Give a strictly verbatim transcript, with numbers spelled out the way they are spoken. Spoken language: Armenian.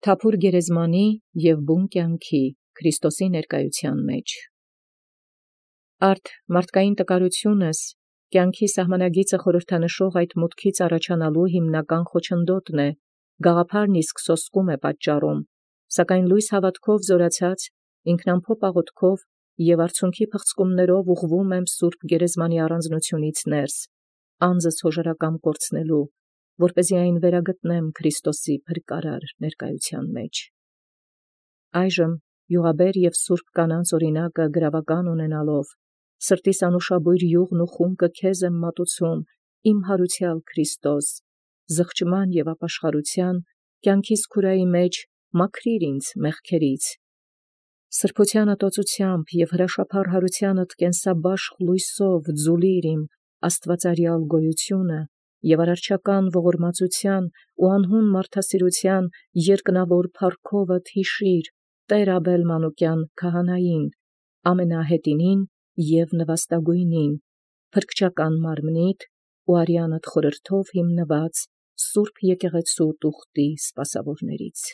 Թափուր գերեզմանի և բուն կենացն Քրիստոսի ներկայութեան։ Արդ մարդկային տկարութիւնս կենացի սահմանագիծը խորհրդանշող այդ մուտքից առաջանալու հիմնական խոչընդոտն է, գաղափարն իսկ սոսկում է պատճառում, սակայն լույս հաւատովք զօրացեալ, ինքնամփոփ աղաւթիւով և արցունքի փղցկումբք ուղղվում եմ սուրբ գերեզմանի առանձնութիւնից ներս, անձս յօժարակամ կորցնելու, որպէս զի այն վերագտնեմ Քրիստոսի փրկարար ներկայութեան։ Այժմ յուղաբեր և սուրբ կանանց օրինակը գրաւական ունենալով, սրտիս անուշաբույր յուղն ու խումբը քեզ եմ մատուցում, իմ յարուցեալ Քրիստոս, զղջման և ապաշխարութեան, կենքիս քուրայի մեջ մաքրիր ինձ մեղքերից, սրբութեան ատոծութեամբ և հրաշափառ յարութեանդ կենսաբաշխ լույսով ձուլիր իմ աստուածարեալ գոյութիւնը և արարչական ողորմածութեան ու անհուն մարդասիրութեան երկնաւոր փառքովդ յիշիր Տէր Աբել Մանուկեան քահանային, ամենահետինին և նվաստագոյնին, փրկչական մարմնիդ ու արեանդ խորհրդով հիմնված սուրբ եկեղեցւոյ տուղտի սպասաւորաց։